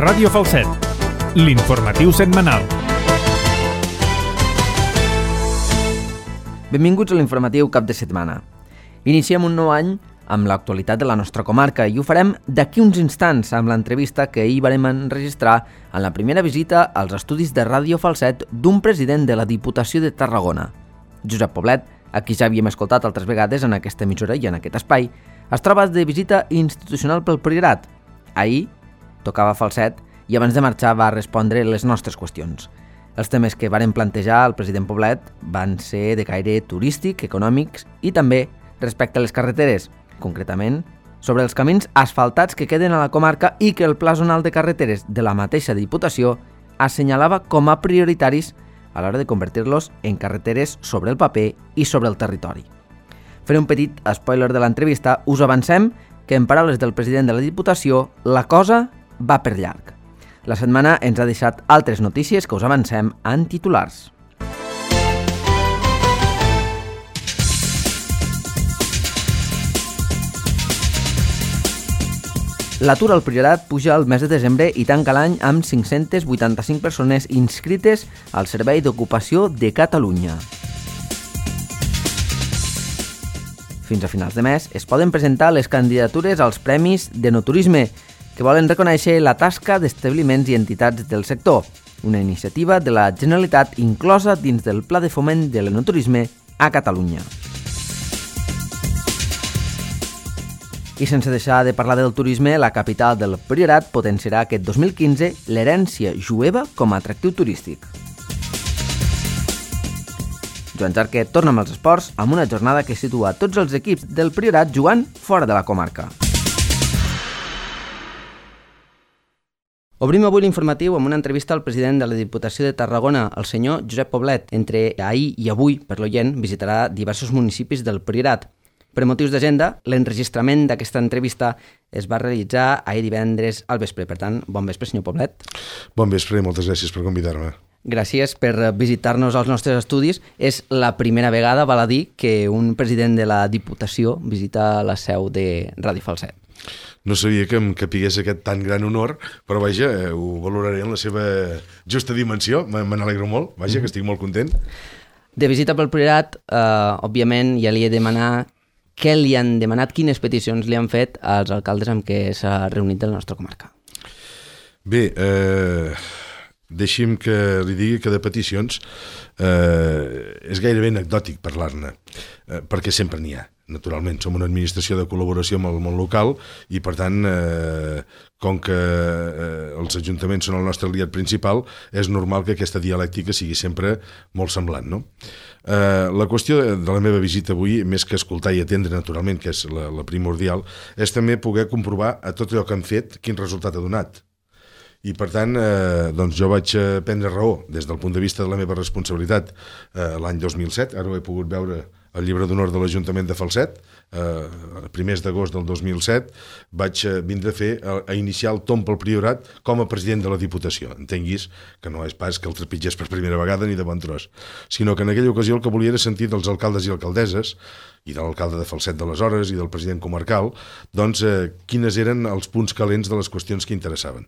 Ràdio Falset, l'informatiu setmanal. Benvinguts a l'informatiu cap de setmana. Iniciem un nou any amb l'actualitat de la nostra comarca i ho farem d'aquí uns instants amb l'entrevista que ahir varem enregistrar en la primera visita als estudis de Ràdio Falset d'un president de la Diputació de Tarragona. Josep Poblet, a qui ja havíem escoltat altres vegades en aquesta emissora i en aquest espai, es troba de visita institucional pel Priorat. Ahir tocava Falset i abans de marxar va respondre les nostres qüestions. Els temes que varen plantejar al president Poblet van ser de caire turístic, econòmics i també respecte a les carreteres, concretament sobre els camins asfaltats que queden a la comarca i que el Pla Zonal de Carreteres de la mateixa Diputació assenyalava com a prioritaris a l'hora de convertir-los en carreteres sobre el paper i sobre el territori. Faré un petit spoiler de l'entrevista, us avancem que en paraules del president de la Diputació la cosa va per llarg. La setmana ens ha deixat altres notícies que us avancem en titulars. L'atur al Priorat puja al mes de desembre i tanca l'any amb 585 persones inscrites al Servei d'Ocupació de Catalunya. Fins a finals de mes es poden presentar les candidatures als Premis d'Enoturisme, que volen reconèixer la tasca d'establiments i entitats del sector, una iniciativa de la Generalitat inclosa dins del Pla de Foment de l'Enoturisme a Catalunya. I sense deixar de parlar del turisme, la capital del Priorat potenciarà aquest 2015 l'herència jueva com a atractiu turístic. Joan Jarque torna amb els esports amb una jornada que situa tots els equips del Priorat jugant fora de la comarca. Obrim avui l'informatiu amb una entrevista al president de la Diputació de Tarragona, el senyor Josep Poblet. Entre ahir i avui, per l'oient, visitarà diversos municipis del Priorat. Per motius d'agenda, l'enregistrament d'aquesta entrevista es va realitzar ahir divendres al vespre. Per tant, bon vespre, senyor Poblet. Bon vespre i moltes gràcies per convidar-me. Gràcies per visitar-nos als nostres estudis. És la primera vegada, val a dir, que un president de la Diputació visita la seu de Ràdio Falset. No sabia que em capigués aquest tan gran honor, però vaja, ho valoraré en la seva justa dimensió. Me n'alegro molt, vaja, que estic molt content. De visita pel Priorat, òbviament, ja li he demanat què li han demanat, quines peticions li han fet als alcaldes amb què s'ha reunit de la nostra comarca. Bé, deixi'm que li digui que de peticions és gairebé anecdòtic parlar-ne, perquè sempre n'hi ha, naturalment. Som una administració de col·laboració amb el món local i, per tant, com que els ajuntaments són el nostre aliat principal, és normal que aquesta dialèctica sigui sempre molt semblant, no? La qüestió de la meva visita avui, més que escoltar i atendre, naturalment, que és la primordial, és també poder comprovar a tot allò que han fet quin resultat ha donat. I, per tant, doncs jo vaig prendre raó des del punt de vista de la meva responsabilitat l'any 2007. Ara ho he pogut veure al llibre d'honor de l'Ajuntament de Falset. A primers d'agost del 2007 vaig vindre a iniciar el tomb pel Priorat com a president de la Diputació. Entenguis que no és pas que el trepitgés per primera vegada ni de bon tros, sinó que en aquella ocasió el que volia era sentir dels alcaldes i alcaldesses i de l'alcalde de Falset d'aleshores i del president comarcal, doncs quines eren els punts calents de les qüestions que interessaven,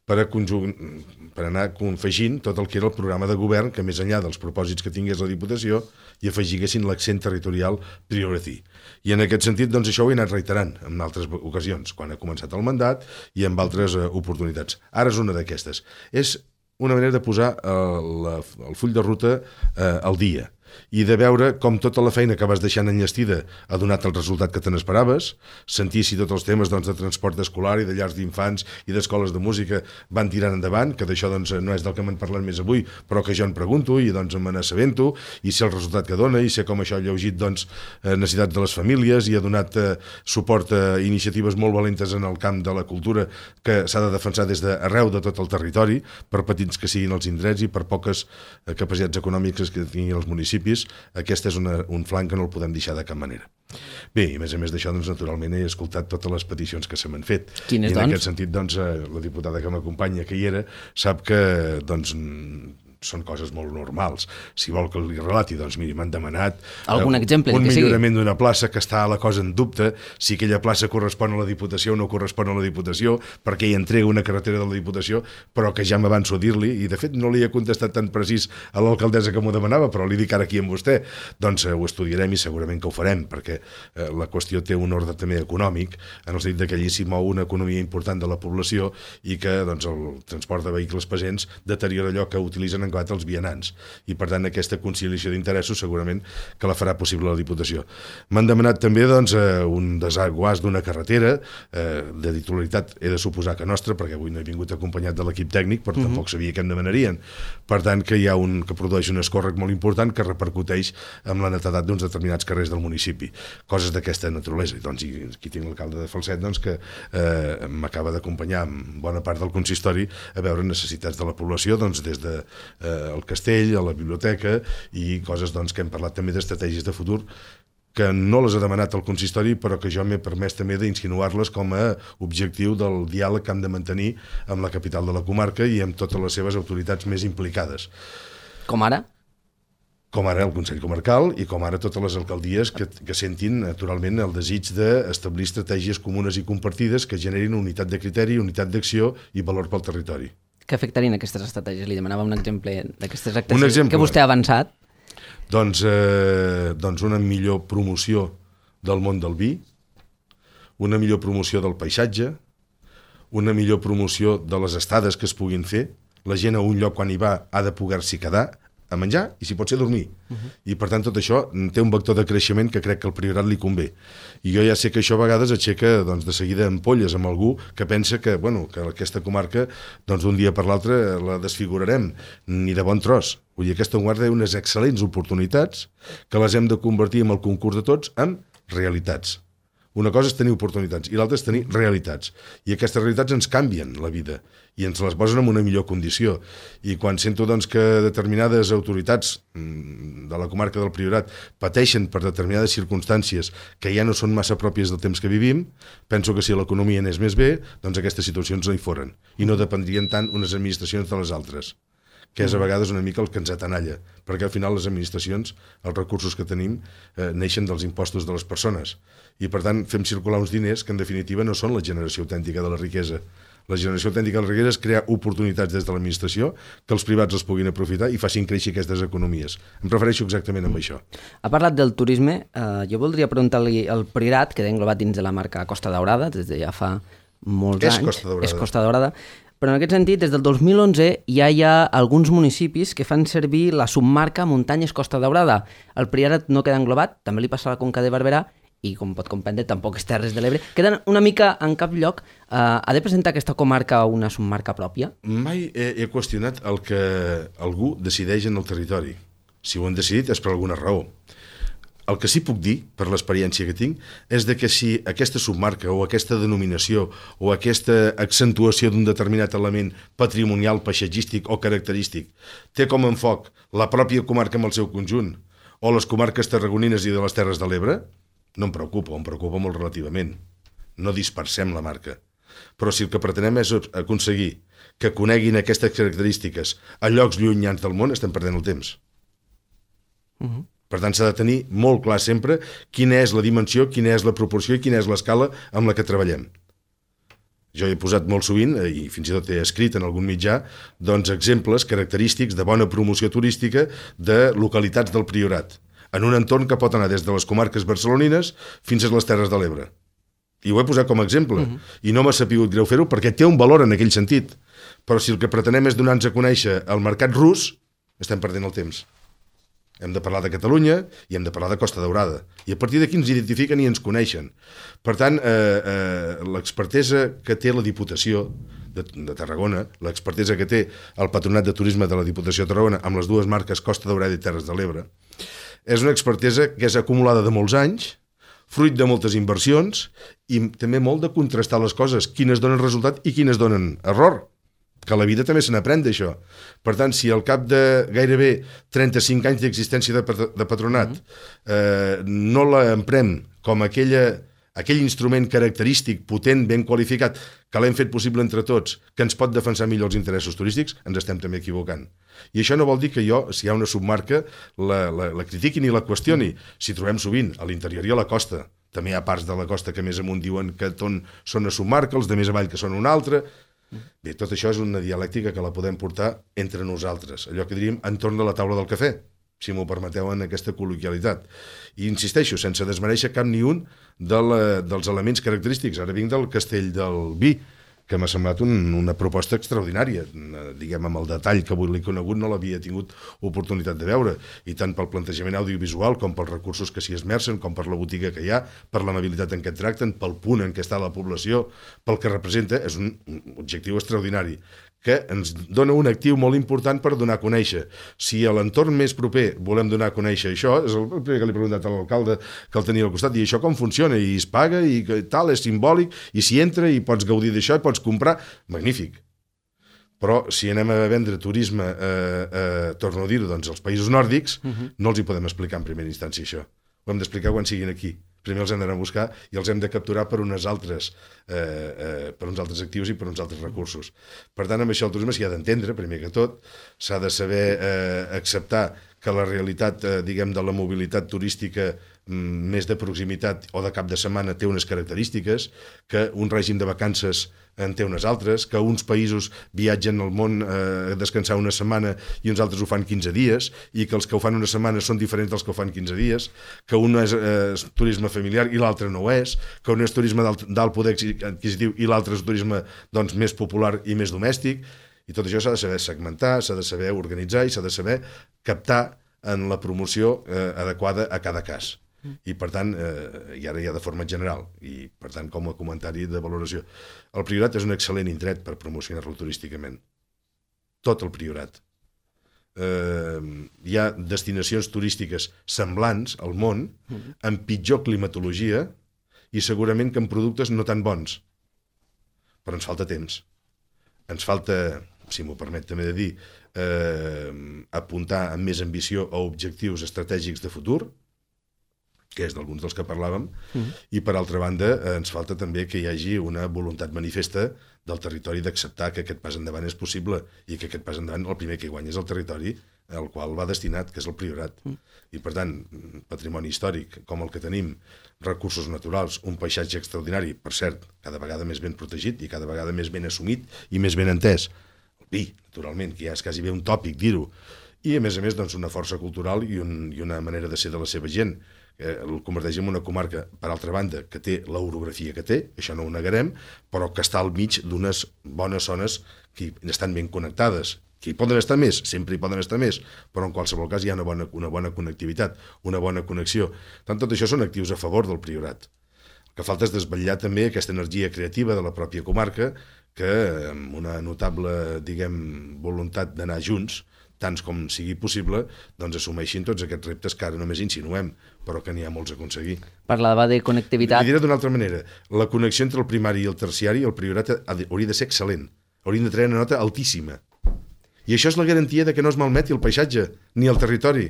per anar confegint tot el que era el programa de govern, que més enllà dels propòsits que tingués la Diputació hi afegiguessin l'accent territorial priority. I en aquest sentit, doncs això ho he anat reiterant en altres ocasions, quan he començat el mandat i en altres oportunitats. Ara és una d'aquestes. És una manera de posar el full de ruta al dia i de veure com tota la feina que vas deixant enllestida ha donat el resultat que te n'esperaves, sentir si tots els temes de transport escolar i de llars d'infants i d'escoles de música van tirant endavant, que d'això no és del que m'han parlat més avui, però que jo en pregunto i me n'assabento, i sé el resultat que dona, i sé com això ha lleugit necessitats de les famílies i ha donat suport a iniciatives molt valentes en el camp de la cultura que s'ha de defensar des d'arreu de tot el territori, per petits que siguin els indrets i per poques capacitats econòmiques que tinguin els municipis. Aquest és un flanc que no el podem deixar de cap manera. Bé, i a més d'això, naturalment he escoltat totes les peticions que se m'han fet. Quines, I en aquest sentit, la diputada que m'acompanya, que hi era, sap que són coses molt normals. Si vol que li relati, doncs miri, m'han demanat algun exemple, un millorament d'una plaça que està la cosa en dubte, si aquella plaça correspon a la Diputació o no correspon a la Diputació, perquè hi entrega una carretera de la Diputació, però que ja m'avanço a dir-li, i de fet no li he contestat tan precís a l'alcaldessa que m'ho demanava, però li dic ara aquí amb vostè, doncs ho estudiarem i segurament que ho farem, perquè la qüestió té un ordre també econòmic, en el sentit que allí s'hi mou una economia important de la població i que doncs, el transport de vehicles pesants deteriora allò que utilitzen en els vianants, i per tant aquesta conciliació d'interessos segurament que la farà possible la Diputació. M'han demanat també doncs, un desaguàs d'una carretera de titularitat, he de suposar que nostra, perquè avui no he vingut acompanyat de l'equip tècnic, però tampoc sabia què em demanarien. Per tant, que hi ha un que produeix un escòrrec molt important que repercuteix amb la netedat d'uns determinats carrers del municipi. Coses d'aquesta naturalesa. Doncs, i aquí tinc l'alcalde de Falset doncs, que m'acaba d'acompanyar amb bona part del consistori a veure necessitats de la població, doncs, des de el castell, a la biblioteca i coses doncs, que hem parlat també d'estratègies de futur que no les ha demanat el consistori, però que jo m'he permès també d'insinuar-les com a objectiu del diàleg que hem de mantenir amb la capital de la comarca i amb totes les seves autoritats més implicades. Com ara? Com ara el Consell Comarcal i com ara totes les alcaldies que sentin naturalment el desig d'establir estratègies comunes i compartides que generin unitat de criteri, unitat d'acció i valor pel territori. Què afectarien aquestes estratègies? Li demanava un exemple d'aquestes estratègies que vostè ha avançat. Doncs una millor promoció del món del vi, una millor promoció del paisatge, una millor promoció de les estades que es puguin fer. La gent a un lloc quan hi va ha de poder-s'hi quedar a menjar i si pot ser dormir. I per tant tot això té un vector de creixement que crec que al Priorat li convé. I jo ja sé que això a vegades aixeca doncs, de seguida ampolles amb algú que pensa que, que aquesta comarca d'un dia per l'altre la desfigurarem, ni de bon tros. Vull dir, aquesta guarda té unes excel·lents oportunitats que les hem de convertir en el concurs de tots en realitats. Una cosa és tenir oportunitats i l'altra és tenir realitats. I aquestes realitats ens canvien la vida i ens les posen en una millor condició. I quan sento doncs, que determinades autoritats de la comarca del Priorat pateixen per determinades circumstàncies que ja no són massa pròpies del temps que vivim, penso que si l'economia anés més bé, doncs aquestes situacions no hi foren i no dependrien tant unes administracions de les altres, que és a vegades una mica el que ens atenalla, perquè al final les administracions, els recursos que tenim, neixen dels impostos de les persones. I per tant fem circular uns diners que en definitiva no són la generació autèntica de la riquesa. La generació autèntica de la riquesa és crear oportunitats des de l'administració que els privats les puguin aprofitar i facin créixer aquestes economies. Em refereixo exactament amb això. Ha parlat del turisme. Jo voldria preguntar-li al Priorat, que queda englobat dins de la marca Costa Daurada, des de ja fa molts anys. És Costa Daurada. Però en aquest sentit, des del 2011 ja hi ha alguns municipis que fan servir la submarca Muntanyes Costa Daurada. El Priorat no queda englobat, també li passa a la Conca de Barberà, i com pot comprendre tampoc és Terres de l'Ebre, queden una mica en cap lloc. Ha de presentar aquesta comarca una submarca pròpia? Mai he qüestionat el que algú decideix en el territori. Si ho han decidit és per alguna raó. El que sí puc dir, per l'experiència que tinc, és de que si aquesta submarca o aquesta denominació o aquesta accentuació d'un determinat element patrimonial, paisatgístic o característic té com a enfoc la pròpia comarca en el seu conjunt o les comarques tarragonines i de les Terres de l'Ebre, no em preocupa molt relativament. No dispersem la marca. Però si el que pretenem és aconseguir que coneguin aquestes característiques a llocs llunyans del món, estem perdent el temps. Per tant, s'ha de tenir molt clar sempre quina és la dimensió, quina és la proporció i quina és l'escala amb la que treballem. Jo he posat molt sovint, i fins i tot he escrit en algun mitjà, doncs exemples característics de bona promoció turística de localitats del Priorat, en un entorn que pot anar des de les comarques barcelonines fins a les Terres de l'Ebre. I ho he posat com a exemple. I no m'ha sapigut greu fer-ho perquè té un valor en aquell sentit. Però si el que pretenem és donar-nos a conèixer el mercat rus, estem perdent el temps. Hem de parlar de Catalunya i hem de parlar de Costa Daurada. I a partir d'aquí ens identifiquen i ens coneixen. Per tant, l'expertesa que té la Diputació de Tarragona, l'expertesa que té el Patronat de Turisme de la Diputació de Tarragona amb les dues marques Costa Daurada i Terres de l'Ebre, és una expertesa que és acumulada de molts anys, fruit de moltes inversions i també molt de contrastar les coses, quines donen resultat i quines donen error, que a la vida també se n'aprèn d'això. Per tant, si al cap de gairebé 35 anys d'existència de patronat no l'emprem com aquella aquell instrument característic, potent, ben qualificat, que l'hem fet possible entre tots, que ens pot defensar millor els interessos turístics, ens estem també equivocant. I això no vol dir que jo, si hi ha una submarca, la critiqui ni la qüestioni. Si trobem sovint a l'interior i a la costa, també hi ha parts de la costa que més amunt diuen que són a submarca, els de més avall que són una altra. Bé, tot això és una dialèctica que la podem portar entre nosaltres, allò que diríem entorn de la taula del cafè, si m'ho permeteu en aquesta col·loquialitat. I insisteixo, sense desmereixer cap ni un dels elements característics. Ara vinc del Castell del Vi, que m'ha semblat una proposta extraordinària. Diguem, amb el detall que avui l'he conegut no l'havia tingut oportunitat de veure, i tant pel plantejament audiovisual com pels recursos que s'hi esmercen, com per la botiga que hi ha, per l'amabilitat en què et tracten, pel punt en què està la població, pel que representa, és un objectiu extraordinari que ens dona un actiu molt important per donar a conèixer. Si a l'entorn més proper volem donar a conèixer això, és el primer que li he preguntat a l'alcalde que el tenia al costat, i això com funciona? I es paga, i tal, és simbòlic, i s'hi entra, i pots gaudir d'això, i pots comprar. Magnífic. Però si anem a vendre turisme, torno a dir-ho, doncs als països nòrdics, no els hi podem explicar en primera instància això. Ho hem d'explicar quan siguin aquí. Primer els hem d'anar a buscar i els hem de capturar per uns altres actius i per uns altres recursos. Per tant, amb això el turisme s'hi ha d'entendre, primer que tot, s'ha de saber acceptar que la realitat, diguem, de la mobilitat turística més de proximitat o de cap de setmana té unes característiques, que un règim de vacances en té unes altres, que uns països viatgen al món a descansar una setmana i uns altres ho fan 15 dies, i que els que ho fan una setmana són diferents dels que ho fan 15 dies, que un és turisme familiar i l'altre no ho és, que un és turisme d'alt poder adquisitiu i l'altre és turisme doncs, més popular i més domèstic, i tot això s'ha de saber segmentar, s'ha de saber organitzar i s'ha de saber captar en la promoció adequada a cada cas. I per tant, i ara ja de forma general, i per tant com a comentari de valoració, el Priorat és un excel·lent indret per promocionar-lo turísticament. Tot el Priorat. Hi ha destinacions turístiques semblants al món, amb pitjor climatologia i segurament que amb productes no tan bons. Però ens falta temps. Ens falta, si m'ho permet també de dir, apuntar amb més ambició a objectius estratègics de futur, que és d'alguns dels que parlàvem, i per altra banda ens falta també que hi hagi una voluntat manifesta del territori d'acceptar que aquest pas endavant és possible i que aquest pas endavant el primer que hi guanya és el territori al qual va destinat, que és el Priorat. I per tant, patrimoni històric com el que tenim, recursos naturals, un paisatge extraordinari, per cert, cada vegada més ben protegit i cada vegada més ben assumit i més ben entès. El vi, naturalment, que ja és quasi bé un tòpic dir-ho. I a més, doncs, una força cultural i una manera de ser de la seva gent, el converteix en una comarca, per altra banda, que té l'orografia que té, això no ho negarem, però que està al mig d'unes bones zones que estan ben connectades, que hi poden estar més, sempre hi poden estar més, però en qualsevol cas hi ha una bona connectivitat, una bona connexió. Tant tot això són actius a favor del Priorat. El que falta és desvetllar també aquesta energia creativa de la pròpia comarca, que amb una notable, diguem, voluntat d'anar junts, tants com sigui possible, doncs assumeixin tots aquests reptes que ara només insinuem, però que n'hi ha molts a aconseguir. Parlava de connectivitat. Li diré d'una altra manera, la connexió entre el primari i el terciari, el Priorat hauria de ser excel·lent, hauríem de treure una nota altíssima. I això és la garantia de que no es malmeti el paisatge, ni el territori,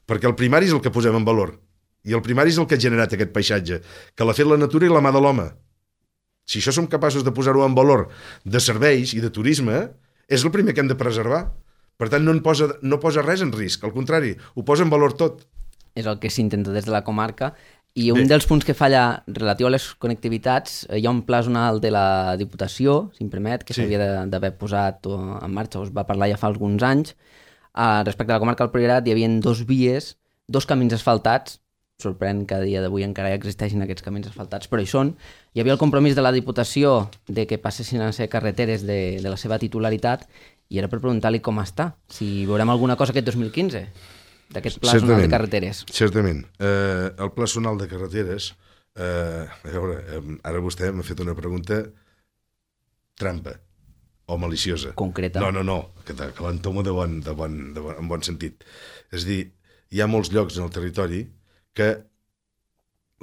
perquè el primari és el que posem en valor, i el primari és el que ha generat aquest paisatge, que l'ha fet la natura i la mà de l'home. Si això som capaços de posar-ho en valor de serveis i de turisme, és el primer que hem de preservar. Per tant, no posa res en risc, al contrari, ho posa en valor tot. És el que s'intenta des de la comarca. I un dels punts que falla relatiu a les connectivitats, hi ha un pla zonal de la Diputació, si em permet, que s'havia d'haver posat en marxa, us va parlar ja fa alguns anys. Respecte a la comarca del Priorat hi havia 2 vies, 2 camins asfaltats, sorprèn que a dia d'avui encara existeixin aquests camins asfaltats, però hi són. Hi havia el compromís de la Diputació de que passessin a ser carreteres de la seva titularitat, i era per preguntar-li com està, si veurem alguna cosa aquest 2015 d'aquest pla zonal de carreteres. Certament. El pla zonal de carreteres, a veure, ara vostè m'ha fet una pregunta trampa o maliciosa. Concreta. No, que l'entomo en bon sentit. És a dir, hi ha molts llocs en el territori que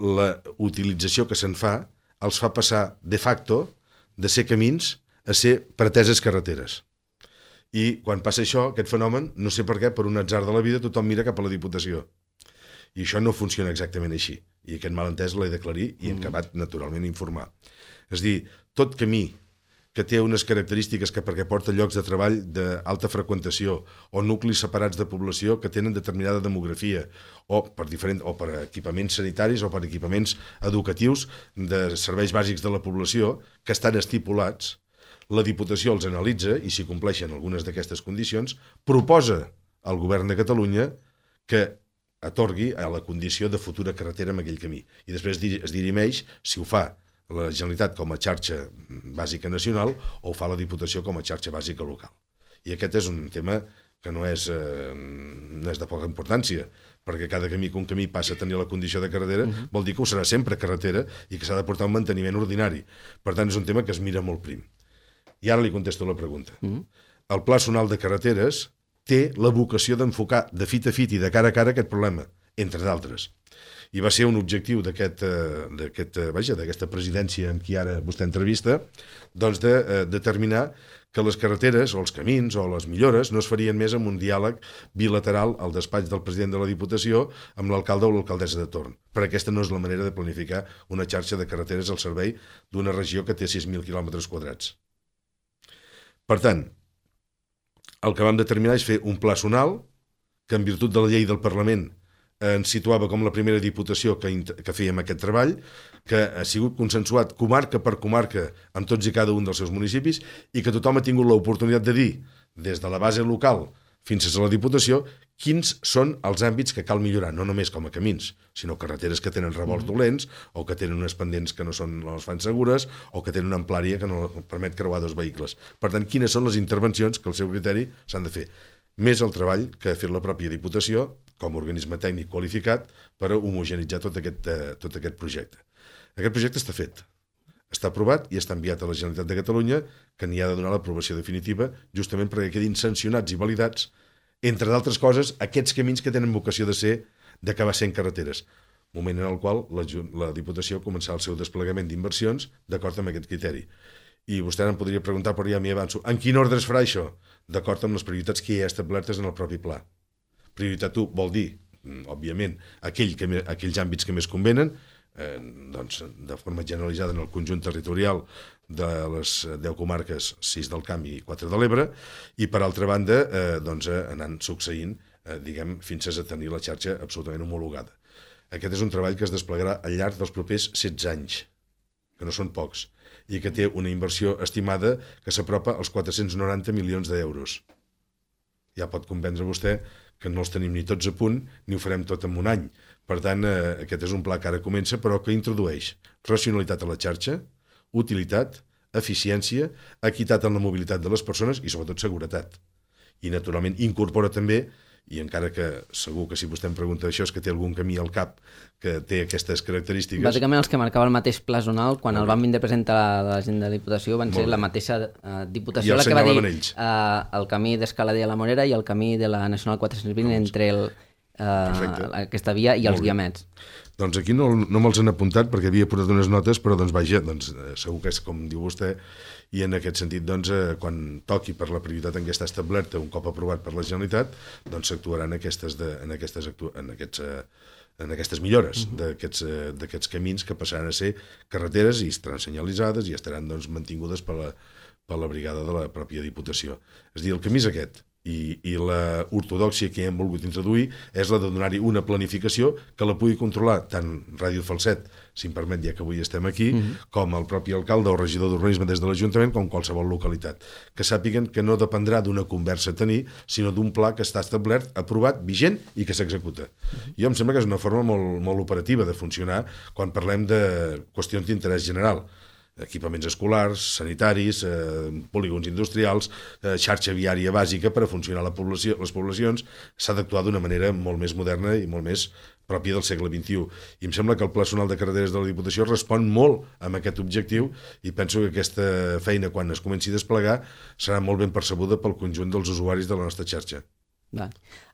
la utilització que se'n fa els fa passar de facto de ser camins a ser preteses carreteres. I quan passa això, aquest fenomen, no sé per què, per un atzar de la vida, tothom mira cap a la Diputació. I això no funciona exactament així. I aquest malentès l'he d'aclarir i hem acabat, naturalment, informar. És a dir, tot camí que té unes característiques que perquè porta llocs de treball d'alta freqüentació o nuclis separats de població que tenen determinada demografia o per equipaments sanitaris o per equipaments educatius de serveis bàsics de la població que estan estipulats, la Diputació els analitza i si compleixen algunes d'aquestes condicions proposa al Govern de Catalunya que atorgui a la condició de futura carretera amb aquell camí. I després es dirimeix si ho fa la Generalitat com a xarxa bàsica nacional o ho fa la Diputació com a xarxa bàsica local. I aquest és un tema que no és de poca importància, perquè cada camí que un camí passa a tenir la condició de carretera vol dir que ho serà sempre carretera i que s'ha de portar un manteniment ordinari. Per tant, és un tema que es mira molt prim. I ara li contesto la pregunta. El Pla Zonal de Carreteres té la vocació d'enfocar de fit a fit i de cara a cara aquest problema, entre d'altres. I va ser un objectiu d'aquesta presidència amb qui ara vostè entrevista, doncs de determinar que les carreteres o els camins o les millores no es farien més amb un diàleg bilateral al despatx del president de la Diputació amb l'alcalde o l'alcaldessa de torn. Però aquesta no és la manera de planificar una xarxa de carreteres al servei d'una regió que té 6.000 quilòmetres quadrats. Per tant, el que vam determinar és fer un pla zonal que en virtut de la llei del Parlament ens situava com la primera Diputació que fèiem aquest treball, que ha sigut consensuat comarca per comarca amb tots i cada un dels seus municipis i que tothom ha tingut l'oportunitat de dir, des de la base local fins a la Diputació, quins són els àmbits que cal millorar, no només com a camins, sinó carreteres que tenen revolts dolents o que tenen unes pendents que no les fan segures o que tenen una amplària que no permet creuar dos vehicles. Per tant, quines són les intervencions que al seu criteri s'han de fer? Més el treball que ha fet la pròpia Diputació com a organisme tècnic qualificat per homogeneïtzar tot aquest projecte. Aquest projecte està fet, està aprovat i està enviat a la Generalitat de Catalunya, que n'hi ha de donar l'aprovació definitiva justament perquè quedin sancionats i validats, entre d'altres coses, aquests camins que tenen vocació d'acabar sent carreteres, moment en el qual la Diputació començarà el seu desplegament d'inversions d'acord amb aquest criteri. I vostè em podria preguntar, però ja m'hi avanço, en quin ordre es farà això? D'acord amb les prioritats que hi ha establertes en el propi pla. Prioritat 1 vol dir, òbviament, aquells àmbits que més convenen, doncs, de forma generalitzada en el conjunt territorial de les 10 comarques, 6 del Camp i 4 de l'Ebre, i per altra banda doncs, anant succeint fins a tenir la xarxa absolutament homologada. Aquest és un treball que es desplegarà al llarg dels propers 16 anys, que no són pocs, i que té una inversió estimada que s'apropa als 490 milions d'euros. Ja pot comprendre vostè que no els tenim ni tots a punt, ni ho farem tot en un any. Per tant, aquest és un pla que ara comença, però que introdueix racionalitat a la xarxa, utilitat, eficiència, equitat en la mobilitat de les persones i, sobretot, seguretat. I, naturalment, incorpora també, i encara que segur que si vostè em pregunta això és que té algun camí al cap que té aquestes característiques... Bàsicament els que marcava el mateix pla zonal quan el van vindre a presentar a la gent de la Diputació van ser la mateixa Diputació la que va dir el camí d'Escalader a la Morera i el camí de la Nacional 420 entre aquesta via i els guiamets. Doncs aquí no me'ls han apuntat perquè havia posat unes notes, però doncs vaja, segur que és com diu vostè, i en aquest sentit, doncs, quan toqui per la prioritat en què està establerta un cop aprovat per la Generalitat, doncs s'actuarà en aquestes millores d'aquests camins que passaran a ser carreteres i estaran senyalitzades i estaran doncs, mantingudes per la brigada de la pròpia Diputació. És a dir, el camí és aquest. I la ortodòxia que hem volgut introduir és la de donar-hi una planificació que la pugui controlar tant Ràdio Falset, si em permet, ja que avui estem aquí, com el propi alcalde o regidor d'urbanisme des de l'Ajuntament, com qualsevol localitat. Que sàpiguen que no dependrà d'una conversa a tenir, sinó d'un pla que està establert, aprovat, vigent i que s'executa. Jo em sembla que és una forma molt operativa de funcionar quan parlem de qüestions d'interès general. Equipaments escolars, sanitaris, polígons industrials, xarxa viària bàsica per a funcionar les poblacions, s'ha d'actuar d'una manera molt més moderna i molt més pròpia del segle XXI. I em sembla que el Pla Zonal de Carreteres de la Diputació respon molt a aquest objectiu i penso que aquesta feina, quan es comenci a desplegar, serà molt ben percebuda pel conjunt dels usuaris de la nostra xarxa.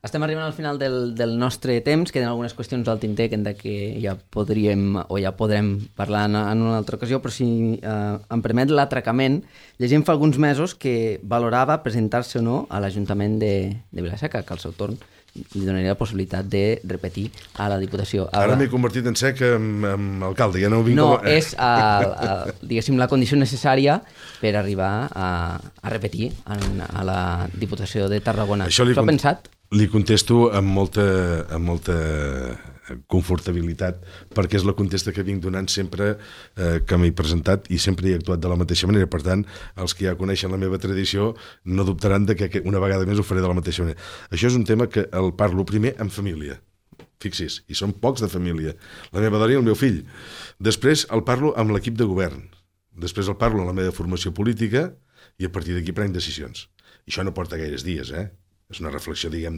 Estem arribant al final del nostre temps, queden algunes qüestions al tinter que ja podríem o ja podrem parlar en una altra ocasió, però si em permet l'atracament, llegim fa alguns mesos que valorava presentar-se o no a l'Ajuntament de Vila-seca, que al seu torn li donaria la possibilitat de repetir a la Diputació. Ara m'he convertit en sec amb alcalde, ja no vinc... No, és, diguéssim, la condició necessària per arribar a repetir a la Diputació de Tarragona. Això ho pensat? Li contesto amb molta confortabilitat, perquè és la contesta que vinc donant sempre que m'he presentat i sempre he actuat de la mateixa manera. Per tant, els que ja coneixen la meva tradició no dubtaran de que una vegada més ho faré de la mateixa manera. Això és un tema que el parlo primer en família. Fixi's, i són pocs de família. La meva dona i el meu fill. Després el parlo amb l'equip de govern. Després el parlo amb la meva formació política i a partir d'aquí prenc decisions. I això no porta gaires dies, És una reflexió, diguem,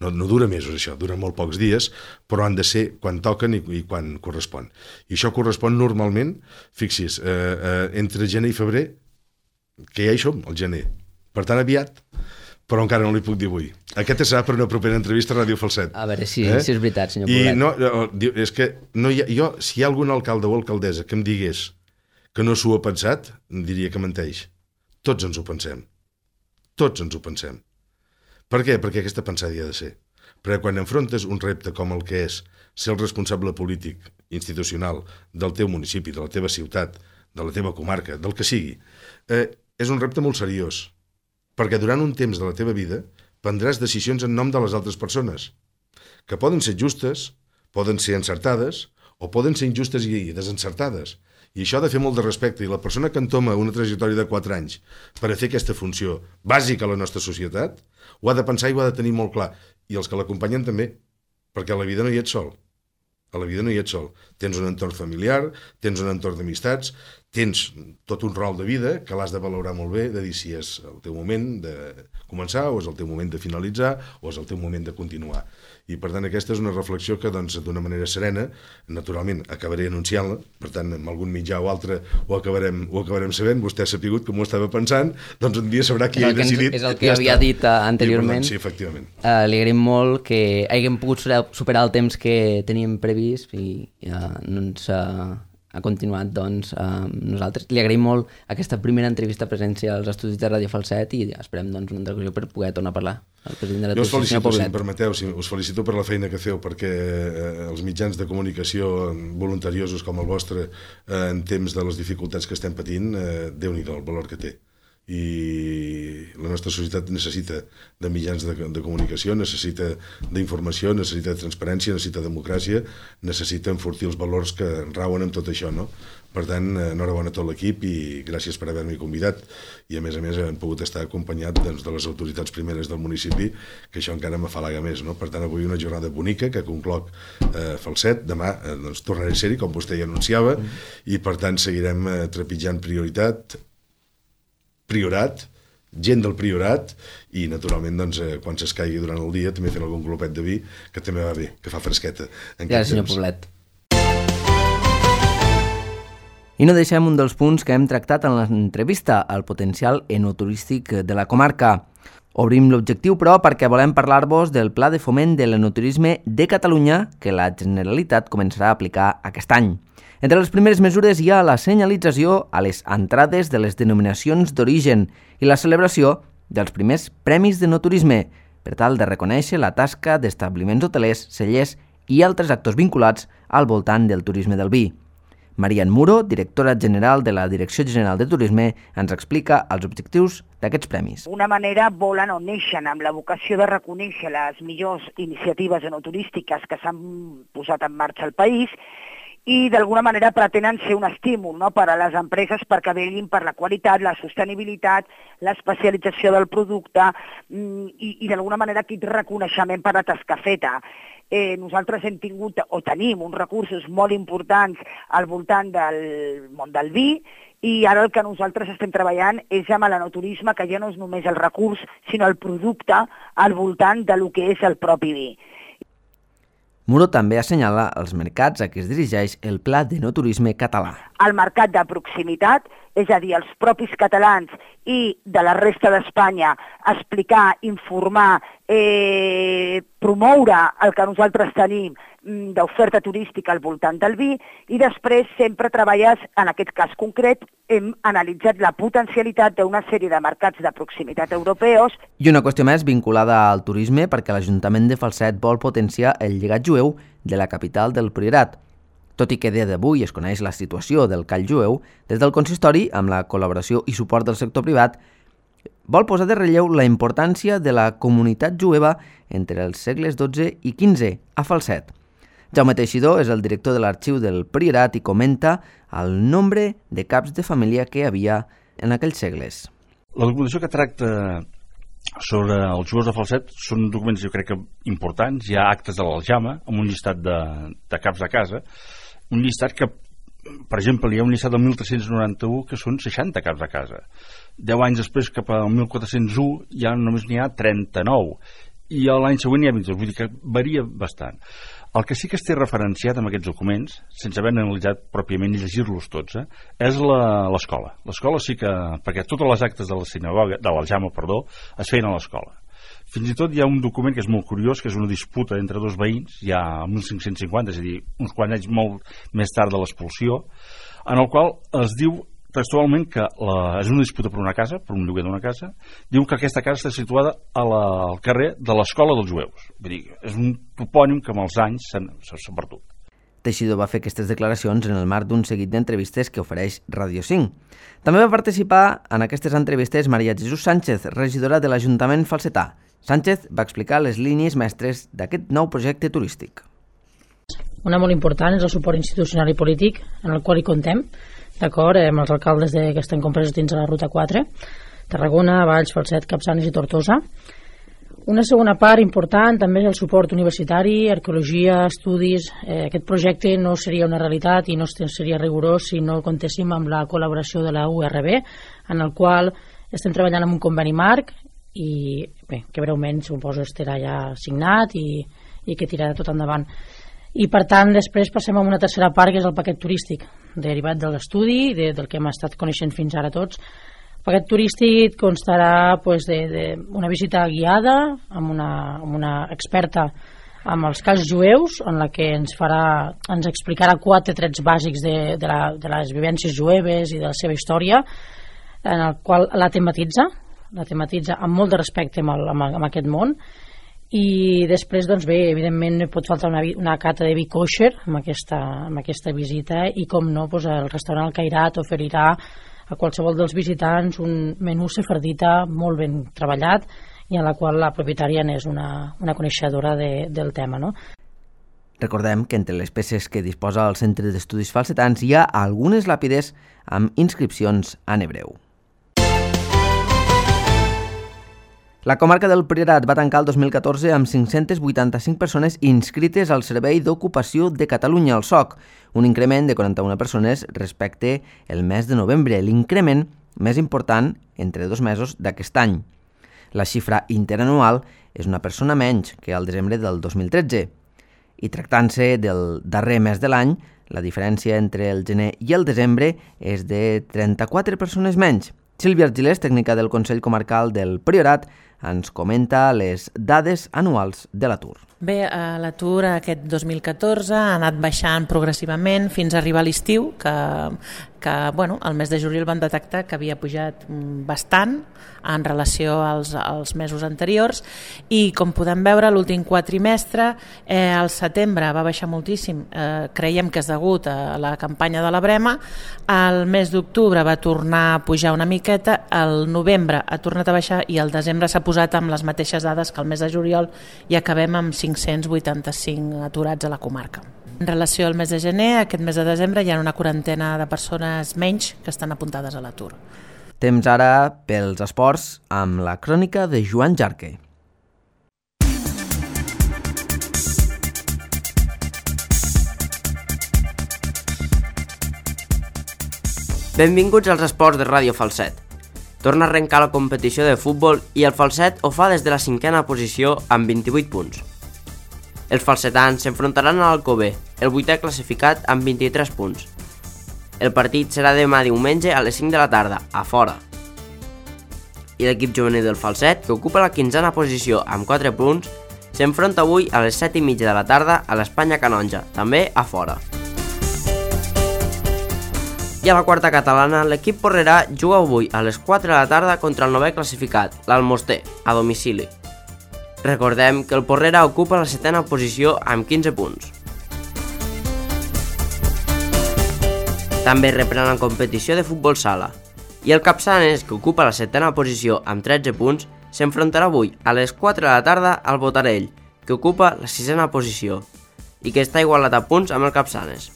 no dura mesos, això, dura molt pocs dies, però han de ser quan toquen i quan correspon. I això correspon normalment, fixi's, entre gener i febrer, que ja hi som, al gener. Per tant, aviat, però encara no li puc dir avui. Aquest serà per una propera entrevista a Ràdio Falset. A veure si és veritat, senyor Poblet. I no, és que no jo, si hi ha algun alcalde o alcaldessa que em digués que no s'ho ha pensat, diria que menteix. Tots ens ho pensem. Tots ens ho pensem. Per què? Perquè aquesta pensada hi ha de ser. Perquè quan enfrontes un repte com el que és ser el responsable polític, institucional, del teu municipi, de la teva ciutat, de la teva comarca, del que sigui, és un repte molt seriós. Perquè durant un temps de la teva vida prendràs decisions en nom de les altres persones, que poden ser justes, poden ser encertades, o poden ser injustes i desencertades. I això ha de fer molt de respecte. I la persona que entoma una trajectòria de 4 anys per a fer aquesta funció bàsica a la nostra societat, ho ha de pensar i ho ha de tenir molt clar. I els que l'acompanyen també, perquè a la vida no hi ets sol. A la vida no hi ets sol. Tens un entorn familiar, tens un entorn d'amistats, tens tot un rol de vida que l'has de valorar molt bé, de dir si és el teu moment de començar o és el teu moment de finalitzar o és el teu moment de continuar. I per tant aquesta és una reflexió que d'una manera serena, naturalment acabaré anunciant-la, per tant amb algun mitjà o altre ho acabarem sabent, vostè ha sapigut com ho estava pensant, doncs un dia sabrà qui ha decidit. És el que havia dit anteriorment. Sí, efectivament. Li agraïm molt que haguem pogut superar el temps que teníem previst i no ens ha continuat doncs nosaltres. Li agraïm molt aquesta primera entrevista a presència als estudis de Ràdio Falset i esperem doncs una altra ocasió per poder tornar a parlar al president de la Jo us felicito, si em permeteu, us felicito per la feina que feu, perquè els mitjans de comunicació voluntariosos com el vostre en temps de les dificultats que estem patint, Déu-n'hi-do el valor que té. I la nostra societat necessita de mitjans de comunicació, necessita d'informació, necessita de transparència, necessita de democràcia, necessita enfortir els valors que rauen amb tot això, no? Per tant, enhorabona a tot l'equip i gràcies per haver-m'hi convidat. I a més hem pogut estar acompanyat de les autoritats primeres del municipi, que això encara m'afalaga més, no? Per tant, avui una jornada bonica que concloc Falset, demà tornaré a ser-hi, com vostè ja anunciava, i per tant seguirem trepitjant Priorat, gent del Priorat i naturalment doncs, quan s'escaigui durant el dia també fent algun glopet de vi que també va bé, que fa fresqueta. Gràcies, senyor Poblet. I no deixem un dels punts que hem tractat en l'entrevista, el potencial enoturístic de la comarca. Obrim l'objectiu, però, perquè volem parlar-vos del Pla de Foment de l'Enoturisme de Catalunya que la Generalitat començarà a aplicar aquest any. Entre les primeres mesures hi ha la senyalització a les entrades de les denominacions d'origen i la celebració dels primers premis d'enoturisme, per tal de reconèixer la tasca d'establiments hotelers, cellers i altres actors vinculats al voltant del turisme del vi. Marian Muro, directora general de la Direcció General de Turisme, ens explica els objectius d'aquests premis. D'una manera volen o neixen amb la vocació de reconèixer les millors iniciatives enoturístiques que s'han posat en marxa al país i d'alguna manera pretenen ser un estímul, no?, per a les empreses perquè vetllin per la qualitat, la sostenibilitat, l'especialització del producte i d'alguna manera aquest reconeixement per la tasca feta. Nosaltres hem tingut o tenim uns recursos molt importants al voltant del món del vi i ara el que nosaltres estem treballant és amb l'enoturisme, que ja no és només el recurs, sinó el producte al voltant del que és el propi vi. Muro també assenyala els mercats a què es dirigeix el Pla d'Enoturisme català. El mercat de proximitat és a dir, els propis catalans i de la resta d'Espanya, explicar, informar, promoure el que nosaltres tenim d'oferta turística al voltant del vi, i després sempre treballes, en aquest cas concret, hem analitzat la potencialitat d'una sèrie de mercats de proximitat europeus. I una qüestió més vinculada al turisme, perquè l'Ajuntament de Falset vol potenciar el llegat jueu de la capital del Priorat. Tot i que a dia d'avui es coneix la situació del call jueu, des del consistori, amb la col·laboració i suport del sector privat, vol posar de relleu la importància de la comunitat jueva entre els segles XII i XV a Falset. Jaume Teixidor és el director de l'arxiu del Priorat i comenta el nombre de caps de família que hi havia en aquells segles. La documentació que tracta sobre els jueus de Falset són documents, jo crec que importants. Hi ha actes de l'Aljama amb un llistat de caps de casa, un llistat que, per exemple, hi ha un llistat del 1391 que són 60 caps de casa. 10 anys després, cap al 1401, ja només n'hi ha 39, i l'any següent hi ha 22, vull dir que varia bastant. El que sí que es té referenciat amb aquests documents, sense haver analitzat pròpiament i llegir-los tots, és l'escola. L'escola sí que, perquè totes les actes de la sinagoga, de l'Aljama, es feien a l'escola. Fins i tot hi ha un document que és molt curiós, que és una disputa entre dos veïns, ja a 1550, és a dir, uns quants anys molt més tard de l'expulsió, en el qual es diu textualment que és una disputa per una casa, per un lloguer d'una casa, diu que aquesta casa està situada al carrer de l'Escola dels Jueus. Vull dir, és un topònim que amb els anys s'ha perdut. Teixidor va fer aquestes declaracions en el marc d'un seguit d'entrevistes que ofereix Radio 5. També va participar en aquestes entrevistes Maria Jesús Sánchez, regidora de l'Ajuntament falsetà. Sánchez va explicar les línies mestres d'aquest nou projecte turístic. Una molt important és el suport institucional i polític en el qual hi contem, d'acord, amb els alcaldes que estan compresos dins de la Ruta 4, Tarragona, Valls, Falset, Capçanes i Tortosa. Una segona part important també és el suport universitari, arqueologia, estudis. Aquest projecte no seria una realitat i no seria rigorós si no comptéssim amb la col·laboració de la URB, en el qual estem treballant amb un conveni marc i bé, que breument suposo estarà ja signat i que tirarà tot endavant. I per tant després passem a una tercera part, que és el paquet turístic derivat de l'estudi, del que hem estat coneixent fins ara tots. El paquet turístic constarà d'una visita guiada amb una experta amb els calls jueus, en la que ens explicarà 4 trets bàsics de les vivències jueves i de la seva història, en el qual la tematitza amb molt de respecte amb aquest món. I després, doncs bé, evidentment pot faltar una cata de vi kosher amb aquesta visita, i com no, el restaurant El Cairat oferirà a qualsevol dels visitants un menú sefardita molt ben treballat i en la qual la propietària és una coneixedora del tema, no? Recordem que entre les peces que disposa el Centre d'Estudis Falsetans hi ha algunes làpides amb inscripcions en hebreu. La comarca del Priorat va tancar el 2014 amb 585 persones inscrites al Servei d'Ocupació de Catalunya, el SOC, un increment de 41 persones respecte el mes de novembre, l'increment més important entre 2 mesos d'aquest any. La xifra interanual és una persona menys que al desembre del 2013. I tractant-se del darrer mes de l'any, la diferència entre el gener i el desembre és de 34 persones menys. Sílvia Argilés, tècnica del Consell Comarcal del Priorat, ens comenta les dades anuals de l'atur. Bé, l'atur aquest 2014 ha anat baixant progressivament fins a arribar a l'estiu, que el mes de juliol van detectar que havia pujat bastant en relació als mesos anteriors, i com podem veure l'últim quatrimestre, el setembre va baixar moltíssim, creiem que és degut a la campanya de la Brema, el mes d'octubre va tornar a pujar una miqueta, el novembre ha tornat a baixar i el desembre s'ha posat amb les mateixes dades que el mes de juliol i acabem amb 585 aturats a la comarca. En relació al mes de gener, aquest mes de desembre hi ha una quarantena de persones menys que estan apuntades a l'atur. Temps ara pels esports amb la crònica de Joan Jarque. Benvinguts als esports de Ràdio Falset. Torna a arrencar la competició de futbol i el Falset ho fa des de la 5a posició amb 28 punts. Els falsetans s'enfrontaran a l'Alcover, el 8è classificat amb 23 punts. El partit serà demà diumenge a les 5 de la tarda, a fora. I l'equip juvenil del Falset, que ocupa la 15a posició amb 4 punts, s'enfronta avui a les 7:30 de la tarda a l'Espanya Canonja, també a fora. I a la quarta catalana, l'equip porrerà juga avui a les 4 de la tarda contra el novè classificat, l'Almoster, a domicili. Recordem que el Porrera ocupa la 7a posició amb 15 punts. També reprèn la competició de futbol sala. I el Capçanes, que ocupa la 7a posició amb 13 punts, s'enfrontarà avui a les 4 de la tarda al Botarell, que ocupa la 6a posició i que està igualat a punts amb el Capçanes.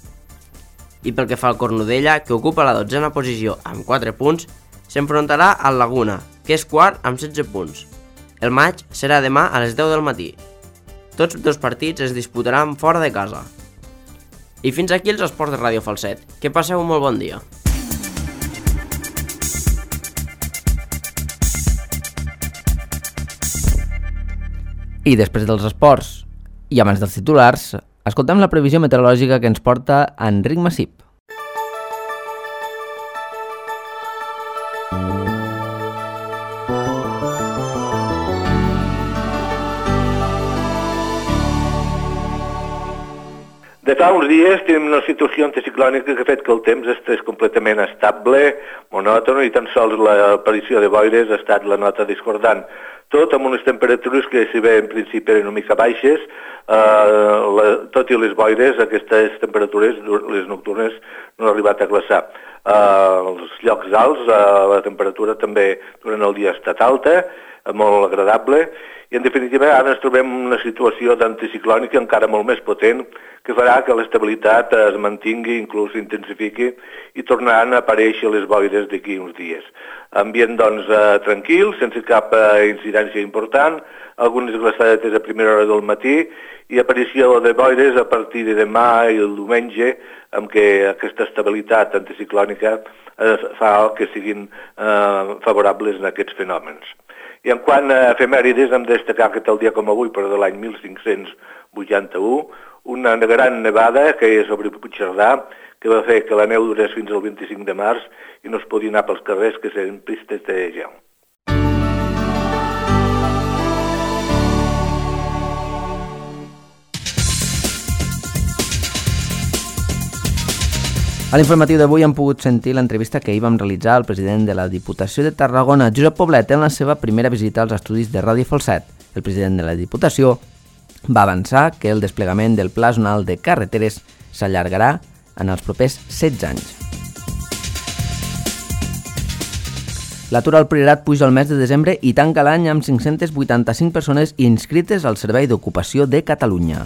I pel que fa al Cornudella, que ocupa la 12a posició amb 4 punts, s'enfrontarà al Laguna, que és quart amb 16 punts. El maig serà demà a les 10 del matí. Tots dos partits es disputaran fora de casa. I fins aquí els esports de Ràdio Falset. Que passeu un molt bon dia. I després dels esports i abans dels titulars, escoltem la previsió meteorològica que ens porta Enric Massip. De fa uns dies tenim una situació anticiclònica que ha fet que el temps estés completament estable, monòton, i tan sols l'aparició de boires ha estat la nota discordant. Tot amb unes temperatures que, si bé en principi eren una mica baixes, tot i les boires, aquestes temperatures, les nocturnes, no han arribat a glaçar. Els llocs alts, la temperatura també durant el dia ha estat alta, molt agradable, i en definitiva ara ens trobem en una situació d'anticiclònica encara molt més potent, que farà que l'estabilitat es mantingui, inclús s'intensifiqui, i tornaran a aparèixer les boires d'aquí uns dies. Ambient, doncs, tranquil, sense cap incidència important, algunes glaçadetes a primera hora del matí i aparició de boires a partir de demà i el diumenge, amb què aquesta estabilitat anticiclònica fa que siguin favorables en aquests fenòmens. I en quant a efemèrides, hem de destacar que tal dia com avui, però de l'any 1581, una gran nevada que és sobre Puigcerdà, que va fer que la neu durés fins al 25 de març i no es podia anar pels carrers, que serien pistes de gel. A l'informatiu d'avui hem pogut sentir l'entrevista que ahir vam realitzar al president de la Diputació de Tarragona, Josep Poblet, en la seva primera visita als estudis de Ràdio Falset. El president de la Diputació va avançar que el desplegament del Pla Zonal de Carreteres s'allargarà en els propers 16 anys. L'atur al Priorat puja al mes de desembre i tanca l'any amb 585 persones inscrites al Servei d'Ocupació de Catalunya.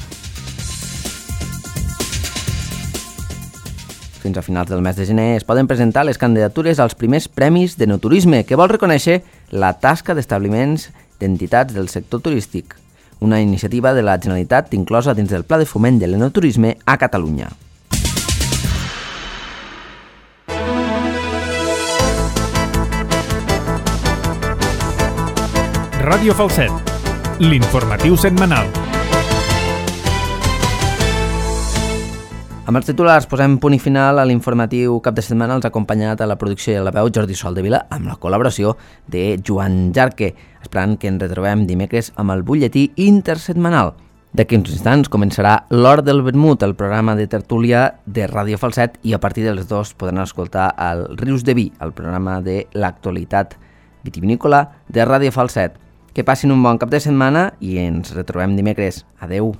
Fins a finals del mes de gener es poden presentar les candidatures als primers premis d'enoturisme, que vol reconèixer la tasca d'establiments d'entitats del sector turístic, una iniciativa de la Generalitat inclosa dins del Pla de Foment de l'Enoturisme a Catalunya. Ràdio Falset, l'informatiu setmanal. Amb els titulars posem punt i final a l'informatiu cap de setmana. Els ha acompanyat a la producció i a la veu Jordi Soldevila, amb la col·laboració de Joan Jarque, esperant que ens retrobem dimecres amb el butlletí intersetmanal. D'aquí uns instants començarà l'Hora del Vermut, el programa de tertúlia de Ràdio Falset, i a partir de les 2 podran escoltar el Rius de Vi, el programa de l'actualitat vitivinícola de Ràdio Falset. Que passin un bon cap de setmana i ens retrobem dimecres. Adeu!